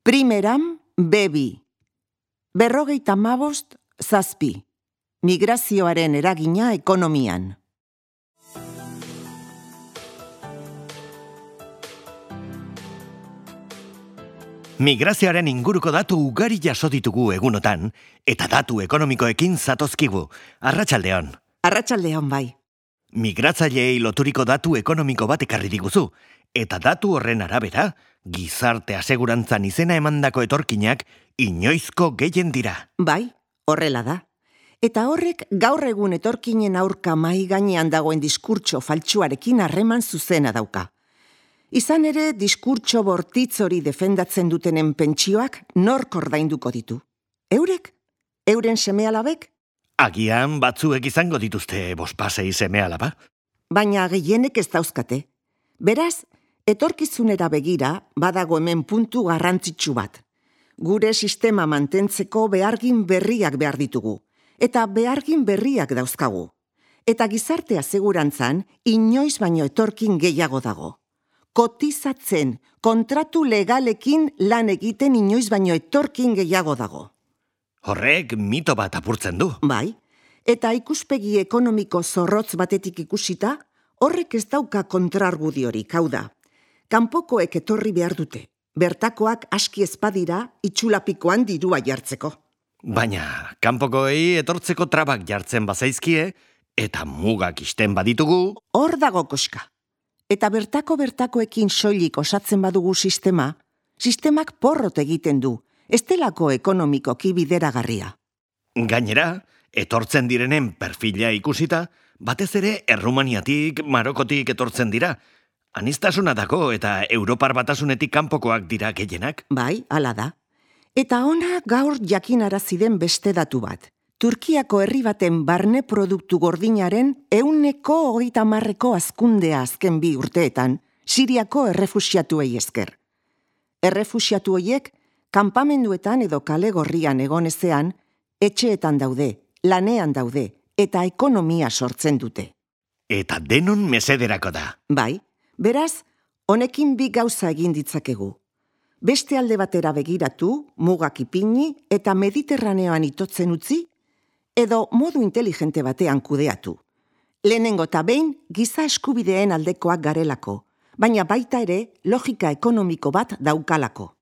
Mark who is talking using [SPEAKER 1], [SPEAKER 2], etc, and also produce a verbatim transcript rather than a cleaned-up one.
[SPEAKER 1] Primeram, bebi. Berrogeita hamabost, zazpi. Migrazioaren eragina ekonomian.
[SPEAKER 2] Migrazioaren inguruko datu ugari jaso ditugu egunotan, eta datu ekonomikoekin zatozkigu. Arratsaldeon.
[SPEAKER 1] Arratsaldeon bai.
[SPEAKER 2] Migratzaileei loturiko datu ekonomiko bat ekarri diguzu, eta datu horren arabera, gizarte asegurantzan izena emandako etorkinak inoizko gehien dira.
[SPEAKER 1] Bai, horrela da. Eta horrek gaur egun etorkinen aurka mai gainean dagoen diskurtso faltsuarekin harreman zuzena dauka. Izan ere, diskurtso bortitz hori defendatzen dutenen pentsioak nork ordainduko ditu. Eurek? Euren seme-alabek?
[SPEAKER 2] Agian batzuek izango dituzte bospasei seme-alaba.
[SPEAKER 1] Baina gehienek ez dauzkate. Beraz, etorkizunera begira badago hemen puntu garrantzitsu bat. Gure sistema mantentzeko behargin berriak behar ditugu. Eta behargin berriak dauzkagu. Eta gizarte asegurantzan inoiz baino etorkin gehiago dago. Kotizatzen, kontratu legalekin lan egiten inoiz baino etorkin gehiago dago.
[SPEAKER 2] Horrek mito bat apurtzen du.
[SPEAKER 1] Bai, eta ikuspegi ekonomiko zorrotz batetik ikusita, horrek ez dauka kontrargudiorik, hau da. Kanpokoek etorri behar dute, bertakoak aski ezpadira itxulapikoan dirua jartzeko.
[SPEAKER 2] Baina, kanpokoei etortzeko trabak jartzen bazaizkie, eta mugak isten baditugu...
[SPEAKER 1] Hor dago koska. Eta bertako bertakoekin soilik osatzen badugu sistema, sistemak porrot egiten du, ez delako ekonomikoki bideragarria.
[SPEAKER 2] Gainera, etortzen direnen perfila ikusita, batez ere Errumaniatik, Marokotik etortzen dira. Aniztasuna dago eta Europar Batasunetik kanpokoak dira gehienak.
[SPEAKER 1] Bai, hala da. Eta ona gaur jakinarazi den beste datu bat. Turkiako herri baten barne produktu gordinaren ehuneko hogeita hamarreko hazkundea azken bi urteetan, Siriako errefuxiatuei esker. Errefuxiatu horiek, kanpamenduetan edo kale gorrian egon ezean, etxeetan daude, lanean daude, eta ekonomia sortzen dute.
[SPEAKER 2] Eta denon mesederako da.
[SPEAKER 1] Bai, beraz, honekin bi gauza egin ditzakegu. Beste alde batera begiratu, mugak ipini eta Mediterraneoan itotzen utzi, edo modu inteligente batean kudeatu. Lehenengo eta behin giza eskubideen aldekoak garelako, baina baita ere logika ekonomiko bat daukalako.